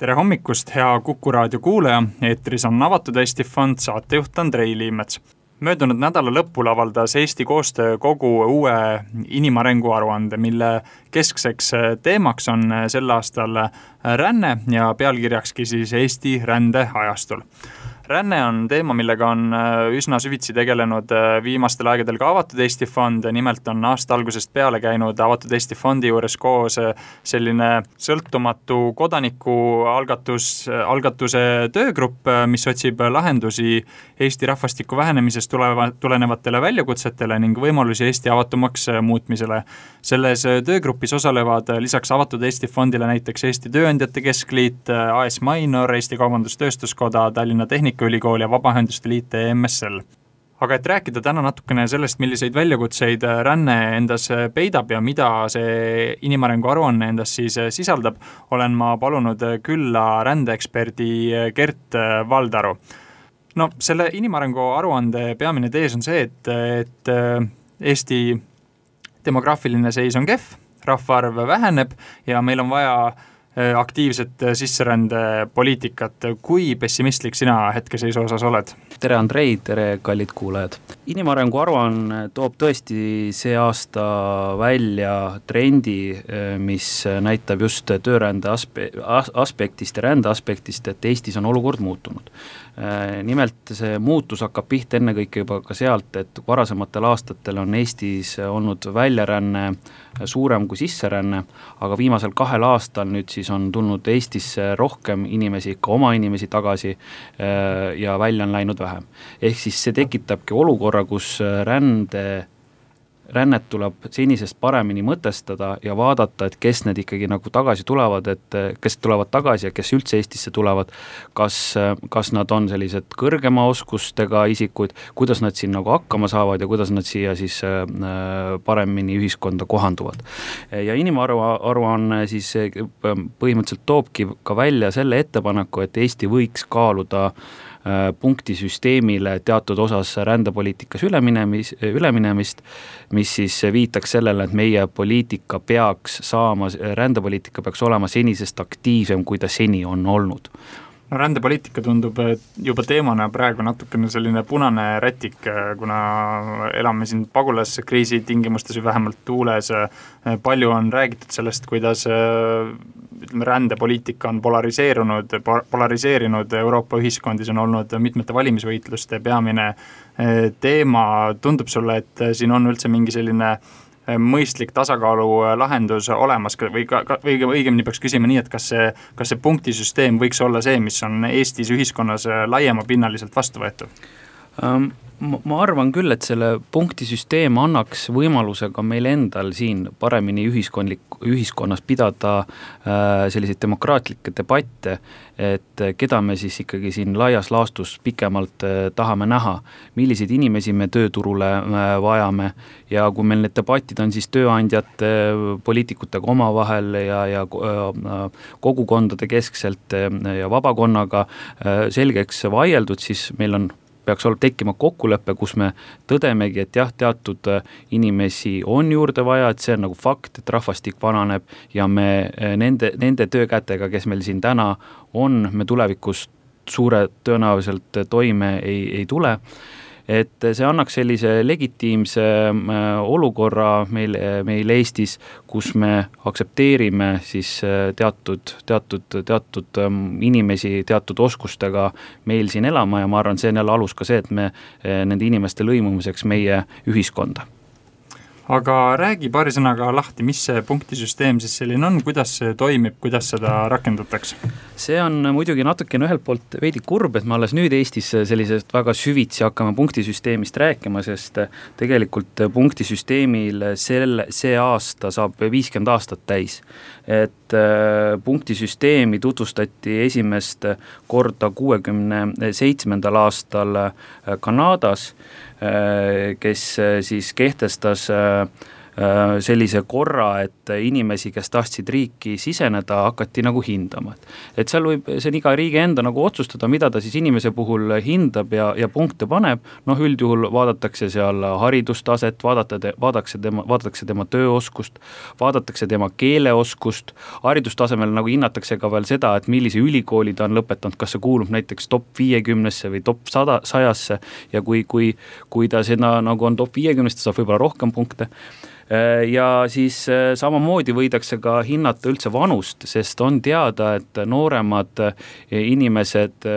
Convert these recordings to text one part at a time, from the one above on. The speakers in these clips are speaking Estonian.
Tere hommikust, hea Kuku raadio kuulaja, eetris on Avatud Eesti Fond, saatejuht Andrei Liimets. Möödunud nädala lõpul avaldas Eesti Koostöökogu uue inimarengu aruande, mille keskseks teemaks on sel aastal ränne ja pealkirjakski siis Eesti rände ajastul. Ränne on teema, millega on üsna süvitsi tegelenud viimastel aegadel ka Avatud Eesti Fond. Nimelt on aasta algusest peale käinud Avatud Eesti Fondi juures koos selline sõltumatu kodanikualgatuse töögrupp, mis otsib lahendusi Eesti rahvastiku vähenemisest tulenevatele väljakutsetele ning võimalusi Eesti avatumaks muutmisele. Selles töögrupis osalevad lisaks Avatud Eesti Fondile näiteks Eesti Tööandjate Keskliit, AS Minor, Eesti Kaubandus-Tööstuskoda, Tallinna Tehnikaülikool ja Vabaühenduste Liit MSL. Aga et rääkida täna natukene sellest, milliseid väljakutseid ränne endas peidab ja mida see inimarengu aruanne endas siis sisaldab, olen ma palunud külla rändeeksperdi Gert Valdaru. No, selle inimarengu aruande peamine tees on see, et Eesti demograafiline seis on kehv, rahvaarv väheneb ja meil on vaja aktiivset sisserändepoliitikat. Kui pessimistlik sina hetkeseisu osas oled? Tere Andrei, tere kallid kuulajad. Inimarengu aruanne toob tõesti see aasta välja trendi, mis näitab just töörände aspektist ja rände aspektist, et Eestis on olukord muutunud. Nimelt see muutus hakkab pihta ennekõike juba ka sealt, et varasematel aastatel on Eestis olnud väljaränne suurem kui sisseränne, aga viimasel 2 aastal nüüd siis on tulnud Eestisse rohkem inimesi, ka oma inimesi tagasi ja välja on läinud vähem. Ehk siis see tekitabki olukorra, kus rännet tuleb senisest paremini mõtestada ja vaadata, et kes need ikkagi nagu tagasi tulevad, et kes tulevad tagasi ja kes üldse Eestisse tulevad, kas nad on sellised kõrgema oskustega isikuid, kuidas nad siin nagu hakkama saavad ja kuidas nad siia siis paremini ühiskonda kohanduvad. Ja inimaruanne siis põhimõtteliselt toobki ka välja selle ettepaneku, et Eesti võiks kaaluda punktisüsteemile teatud osas rändepoliitikas üleminemist, mis siis viitaks sellele, et meie rändepoliitika peaks olema senisest aktiivsem, kui ta seni on olnud. No, rändepoliitika tundub juba teemana praegu natukene selline punane rätik, kuna elame siin pagulaskriisi tingimustes või vähemalt tuules. Palju on räägitud sellest, kuidas rändepoliitika on polariseerinud Euroopa ühiskondis, on olnud mitmete valimisvõitluste peamine teema. Tundub sulle, et siin on üldse mingi selline mõistlik tasakaalu lahendus olemas või õigemini peaks küsima nii, et kas see punktisüsteem võiks olla see, mis on Eestis ühiskonnas laiemapinnaliselt vastu võetud? Ma arvan küll, et selle punktisüsteem annaks võimaluse ka meil endal siin paremini ühiskonnas pidada selliseid demokraatlikke debatte, et keda me siis ikkagi siin laias laastus pikemalt tahame näha, milliseid inimesi me tööturule vajame ja kui meil need debatid on siis tööandjate, poliitikutega omavahel ja kogukondade keskselt ja vabakonnaga selgeks vaieldud, siis meil peaks tekkima kokkulepe, kus me tõdemegi, et jah, teatud inimesi on juurde vaja, et see on nagu fakt, et rahvastik vananeb ja me nende töökätega, kes meil siin täna on, me tulevikus suure tõenäoliselt toime ei tule. Et see annaks sellise legitiimse olukorra meil Eestis, kus me aksepteerime siis teatud inimesi teatud oskustega meil siin elama ja ma arvan, see on jälle alus ka see, et me nende inimeste lõimumiseks meie ühiskonda. Aga räägi paari sõnaga lahti, mis see punktisüsteem siis selline on, kuidas see toimib, kuidas seda rakendatakse? See on muidugi natukene ühelt poolt veidi kurb, et me alles nüüd Eestis sellisest väga süvitsi hakkame punktisüsteemist rääkima, sest tegelikult punktisüsteemil see aasta saab 50 aastat täis. Et punktisüsteemi tutvustati esimest korda 67. aastal Kanadas, kes siis kehtestas sellise korra, et inimesi, kes tahtsid riiki siseneda, hakati nagu hindama. Et seal see on iga riigi enda nagu otsustada, mida ta siis inimese puhul hindab ja punkte paneb. Üldjuhul vaadatakse seal haridustaset, vaadatakse tema tööoskust, vaadatakse tema keeleoskust, haridustasemel nagu hinnatakse ka veel seda, et millise ülikooli ta on lõpetanud, kas see kuulub näiteks top 50-sse või top 100-sse ja kui ta seda nagu on top 50, ta saab võib-olla rohkem punkte. Ja siis samamoodi võidakse ka hinnata üldse vanust, sest on teada, et nooremad inimesed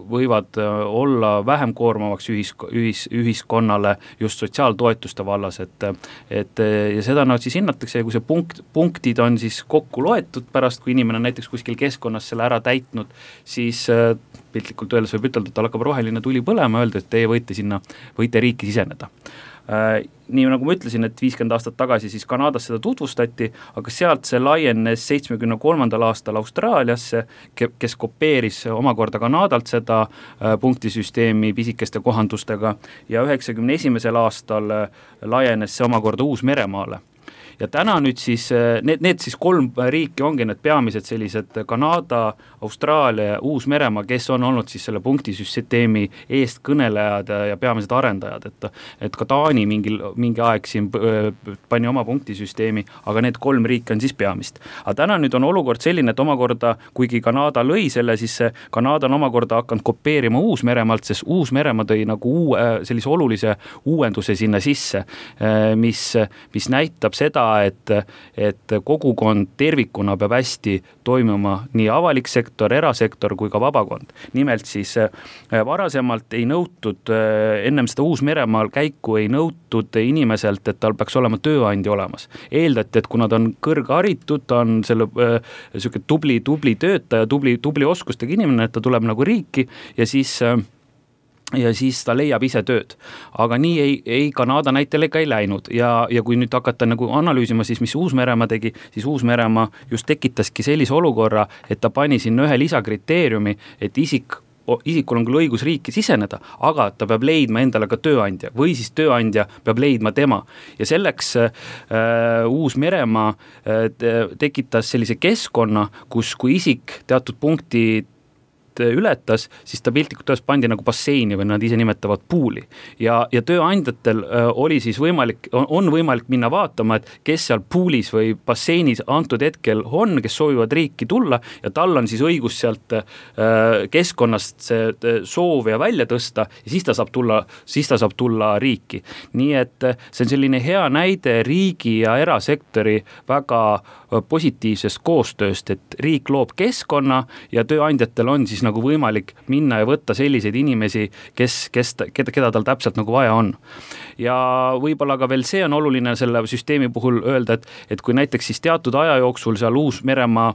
võivad olla vähem koormavaks ühiskonnale just sotsiaaltoetuste vallas, et ja seda siis hinnatakse ja kui see punktid on siis kokku loetud pärast, kui inimene näiteks kuskil keskkonnas selle ära täitnud, siis piltlikult öeldes võib ütelda, et tal hakkab roheline tuli põlema, öelda, et teie võite riiki siseneda. Nii nagu ma ütlesin, et 50 aastat tagasi siis Kanadas seda tutvustati, aga sealt see laienes 73. aastal Austraaliasse, kes kopeeris omakorda Kanadalt seda punktisüsteemi pisikeste kohandustega ja 91. aastal laienes see omakorda Uus-Meremaale. Ja täna nüüd siis, need siis 3 riiki ongi need peamised sellised Kanada, Austraalia ja Uus-Meremaa, kes on olnud siis selle punktisüsteemi eestkõnelejad ja peamised arendajad, et ka Taani mingi aeg siin pani oma punktisüsteemi, aga need 3 riiki on siis peamist. Aga täna nüüd on olukord selline, et omakorda, kuigi Kanada lõi selle, siis Kanada on omakorda hakanud kopeerima Uus-Meremaalt, sest Uus-Meremaa tõi nagu sellise olulise uuenduse sinna sisse, mis näitab seda, et kogukond tervikuna peab hästi toimuma nii avalik sektor, erasektor kui ka vabakond. Nimelt siis varasemalt ei nõutud, ennem seda Uus-Meremaal käiku ei nõutud inimeselt, et tal peaks olema tööandja olemas. Eeldati, et kuna ta on kõrgharitud, ta on selle tubli töötaja, tubli oskustega inimene, et ta tuleb nagu riiki ja siis ta leiab ise tööd. Aga nii ei Kanada näitel ega ei läinud ja kui nüüd hakata nagu analüüsima, siis mis Uus-Meremaa tegi, siis Uus-Meremaa just tekitaski sellise olukorra, et ta pani sinna ühe lisakriteeriumi, et isikul on küll õigus riiki siseneda, aga ta peab leidma endale ka tööandja või siis tööandja peab leidma tema. Ja selleks Uus-Meremaa tekitas sellise keskkonna, kus kui isik teatud punkti ületas, siis ta piltlikult tões pandi nagu basseini või nad ise nimetavad puuli. Ja tööandjatel oli siis on võimalik minna vaatama, et kes seal puulis või basseinis antud hetkel on, kes soovivad riiki tulla ja tal on siis õigus sealt keskkonnast see soovija välja tõsta ja siis ta saab tulla riiki. Nii et see on selline hea näide riigi ja erasektori väga positiivsest koostööst, et riik loob keskkonna ja tööandjatel on siis nagu võimalik minna ja võtta selliseid inimesi, keda tal täpselt nagu vaja on. Ja võib-olla ka veel see on oluline selle süsteemi puhul öelda, et kui näiteks siis teatud aja jooksul seal Uus-Meremaa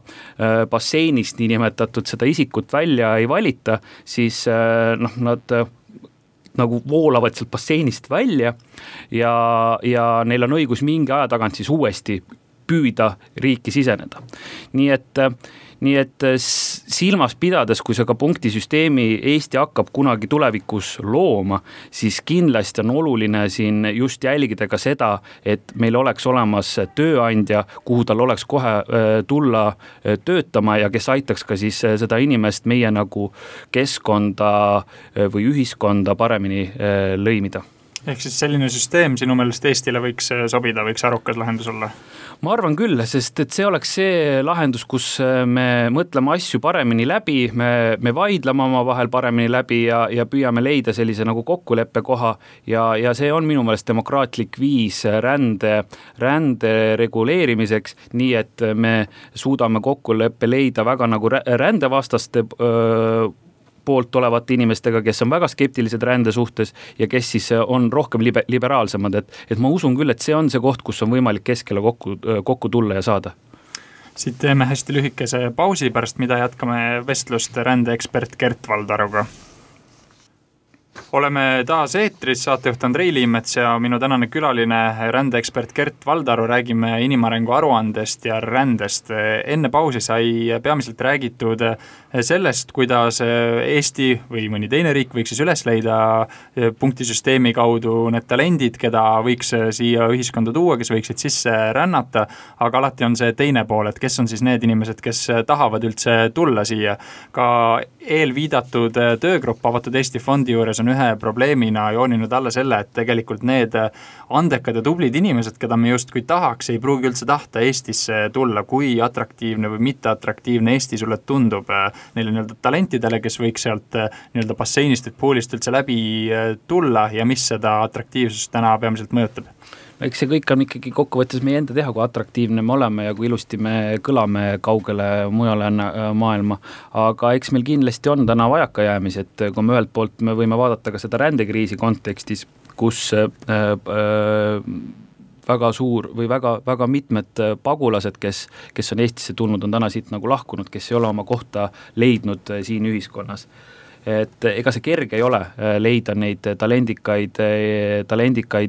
basseinist niinimetatud seda isikut välja ei valita, siis nad nagu voolavad sealt basseinist välja ja neil on õigus mingi aja tagant siis uuesti püüda riiki siseneda. Nii et silmas pidades, kui see ka punktisüsteemi Eesti hakkab kunagi tulevikus looma, siis kindlasti on oluline siin just jälgida ka seda, et meil oleks olemas tööandja, kuhu tal oleks kohe tulla töötama ja kes aitaks ka siis seda inimest meie nagu keskkonda või ühiskonda paremini lõimida. Ehk siis selline süsteem sinu meelest Eestile võiks sobida, võiks arukas lahendus olla? Ma arvan küll, sest et see oleks see lahendus, kus me mõtleme asju paremini läbi, me vaidleme oma vahel paremini läbi ja püüame leida sellise nagu kokkuleppe koha ja see on minu meelest demokraatlik viis rände reguleerimiseks, nii et me suudame kokkuleppe leida väga nagu rändevastaste poolt olevate inimestega, kes on väga skeptilised rände suhtes ja kes siis on rohkem liberaalsemad, et ma usun küll, et see on see koht, kus on võimalik keskele kokku tulla ja saada. Siit teeme hästi lühikese pausi, pärast mida jätkame vestlust rändeekspert Gert Valdaruga. Oleme taas eetris, saatejuht Andrei Liimets ja minu tänane külaline rändeekspert Gert Valdaru, räägime inimarengu aruandest ja rändest. Enne pausi sai peamiselt räägitud sellest, kuidas Eesti või mõni teine riik võiks siis üles leida punktisüsteemi kaudu need talendid, keda võiks siia ühiskonda tuua, kes võiksid sisse rännata, aga alati on see teine pool, et kes on siis need inimesed, kes tahavad üldse tulla siia. Ka eelviidatud töögrupp Avatud Eesti fondi juures on ühe probleemina jooninud alla selle, et tegelikult need andekad ja tublid inimesed, keda me justkui tahaks, ei pruugi üldse tahta Eestisse tulla, kui atraktiivne või mitteatraktiivne Eesti sulle tundub neile nii-öelda talentidele, kes võiks sealt nii-öelda basseinist või poolist üldse läbi tulla ja mis seda atraktiivsust täna peamiselt mõjutab? Eks see kõik on ikkagi kokkuvõttes meie enda teha, kui atraktiivne me oleme ja kui ilusti me kõlame kaugele mujale maailma. Aga eks meil kindlasti on täna vajakajäämis, et kui me ühelt poolt me võime vaadata ka seda rändekriisi kontekstis, kus väga suur või väga mitmed pagulased, kes on Eestisse tulnud, on täna siit nagu lahkunud, kes ei ole oma kohta leidnud siin ühiskonnas. Et ega see kerge ei ole leida neid talendikaid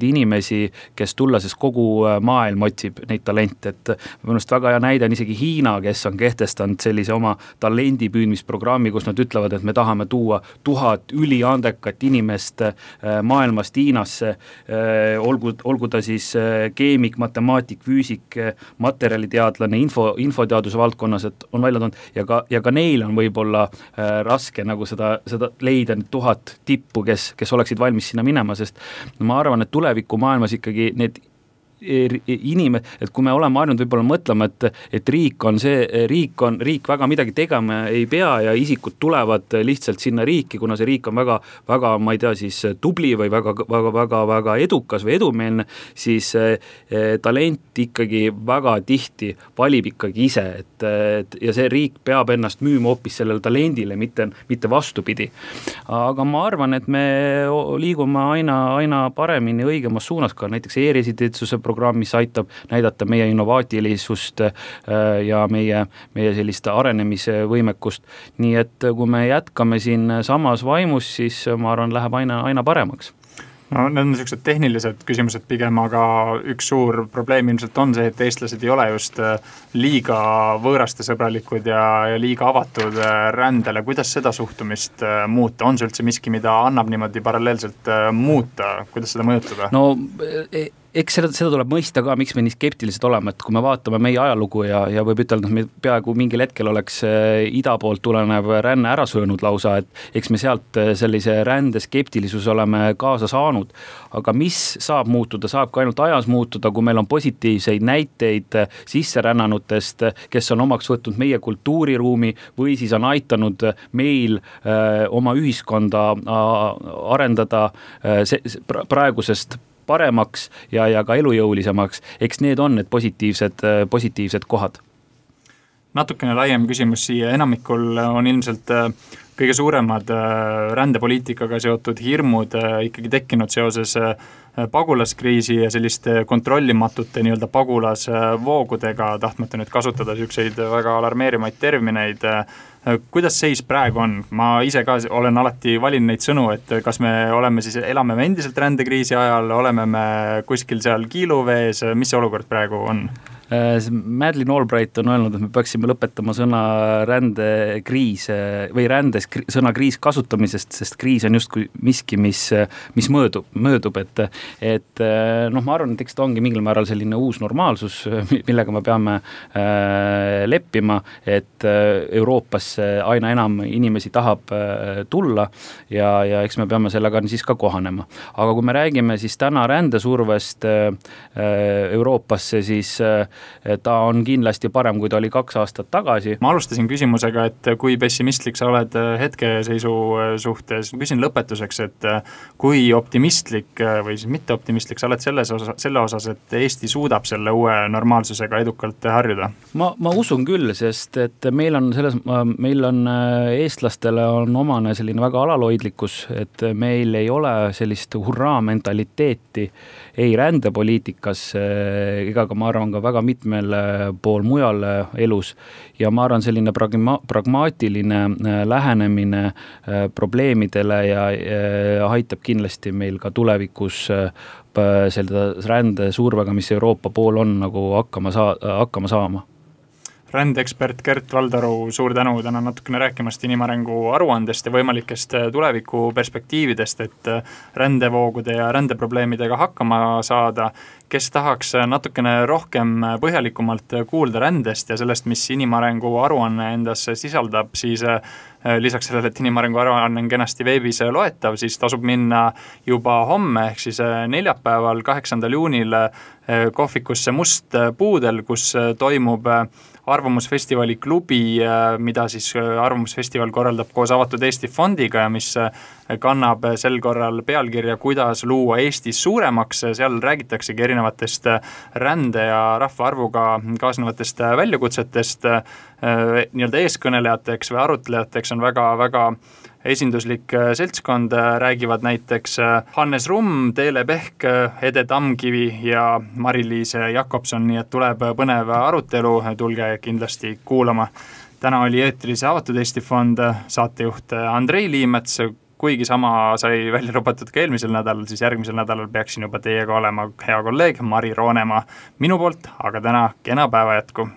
inimesi, kes tulla, sest kogu maailm otsib neid talente, et mõnust väga hea näide on isegi Hiina, kes on kehtestanud sellise oma talendipüüdmisprogrammi, kus nad ütlevad, et me tahame tuua 1000 üliandekat inimest maailmast Hiinasse, olgu ta siis keemik, matemaatik, füüsik, materjaliteadlane, infoteaduse valdkonnas, et on välja toonud ja ka neil on võib-olla raske nagu seda leida 1000 tippu, kes oleksid valmis sinna minema, sest ma arvan, et tuleviku maailmas ikkagi need et kui me oleme harjunud võib-olla mõtlema, et riik väga midagi tegema ei pea ja isikud tulevad lihtsalt sinna riiki, kuna see riik on väga, ma ei tea, siis tubli või väga edukas või edumeelne, siis talent ikkagi väga tihti valib ikkagi ise, ja see riik peab ennast müüma hoopis sellele talendile, mitte vastupidi. Aga ma arvan, et me liigume aina paremini õigemas suunas, ka näiteks e-residentsuse programm, mis aitab näidata meie innovaatilisust ja meie sellist arenemisvõimekust. Nii et kui me jätkame siin samas vaimus, siis ma arvan, läheb aina paremaks. No, need on sellised tehnilised küsimused pigem, aga üks suur probleem ilmselt on see, et eestlased ei ole just liiga võõrastesõbralikud ja liiga avatud rändele. Kuidas seda suhtumist muuta? On see üldse miski, mida annab niimoodi paralleelselt muuta? Kuidas seda mõjutada? No, eks seda tuleb mõista ka, miks me nii skeptilised oleme, et kui me vaatame meie ajalugu ja võib ütelda, et me peaaegu mingil hetkel oleks ida poolt tulenev ränne ära söönud lausa, et eks me sealt sellise rände skeptilisus oleme kaasa saanud, aga mis saab muutuda, saab ka ainult ajas muutuda, kui meil on positiivseid näiteid sisserännanutest, kes on omaks võtnud meie kultuuriruumi või siis on aitanud meil oma ühiskonda arendada praegusest paremaks ja ka elujõulisemaks. Eks need on need positiivsed kohad. Natukene laiem küsimus siia. Enamikul on ilmselt kõige suuremad rändepoliitikaga seotud hirmud ikkagi tekkinud seoses pagulaskriisi ja selliste kontrollimatute nii-öelda pagulasvoogudega, tahtmata nüüd kasutada selliseid väga alarmeerimaid termineid. Kuidas seis praegu on? Ma ise ka olen alati valinud neid sõnu, et kas me elame endiselt rändekriisi ajal, oleme me kuskil seal kiiluvees, mis see olukord praegu on? Madeleine Albright on öelnud, et me peaksime lõpetama sõna rändekriis või sõna kriis kasutamisest, sest kriis on justkui miski, mis möödub, et ma arvan, et eks ta ongi mingil määral selline uus normaalsus, millega me peame leppima, et Euroopasse aina enam inimesi tahab tulla ja eks me peame sellega siis ka kohanema. Aga kui me räägime siis täna rändesurvest Euroopasse, siis ta on kindlasti parem, kui ta oli 2 aastat tagasi. Ma alustasin küsimusega, et kui pessimistlik sa oled hetkeseisu suhtes. Küsin lõpetuseks, et kui optimistlik või siis mitte optimistlik sa oled selle osas, et Eesti suudab selle uue normaalsusega edukalt harjuda? Ma usun küll, sest et meil on eestlastele on omane selline väga alaloidlikkus, et meil ei ole sellist hurraa mentaliteeti ei rändepoliitikas ega ka ma arvan ka väga mitmel pool mujal elus ja ma arvan, selline pragmaatiline lähenemine probleemidele ja aitab kindlasti meil ka tulevikus selle rände survega, mis Euroopa pool on, nagu hakkama saama. Rändeekspert Gert Valdaru, suur tänu täna natukene rääkimast inimarengu aruandest ja võimalikest tuleviku perspektiividest, et rändevoogude ja rändeprobleemidega hakkama saada. Kes tahaks natukene rohkem põhjalikumalt kuulda rändest ja sellest, mis inimarengu aruanne endas sisaldab, siis lisaks sellele, et inimarengu aruanne on kenasti veebis loetav, siis tasub minna juba homme, ehk siis neljapäeval 8. juunil kohvikusse Must Puudel, kus toimub Arvamusfestivali klubi, mida siis Arvamusfestival korraldab koos Avatud Eesti fondiga ja mis kannab sel korral pealkirja Kuidas luua Eestis suuremaks. Seal räägitaksegi erinevatest rände ja rahvaarvuga kaasnevatest väljakutsetest. Nii-öelda eeskõnelejateks või arutlejateks on väga esinduslik seltskond, räägivad näiteks Hannes Rumm, Teele Pehk, Ede Tamkivi ja Mari-Liis Jakobson, nii et tuleb põnev arutelu, tulge kindlasti kuulama. Täna oli eetris Avatud Eesti fond, saatejuht Andrei Liimets, kuigi sama sai välja lubatud ka eelmisel nädalal, siis järgmisel nädalal peaksin juba teiega olema hea kolleeg Mari Roonemaa minu poolt, aga täna kena päeva jätku.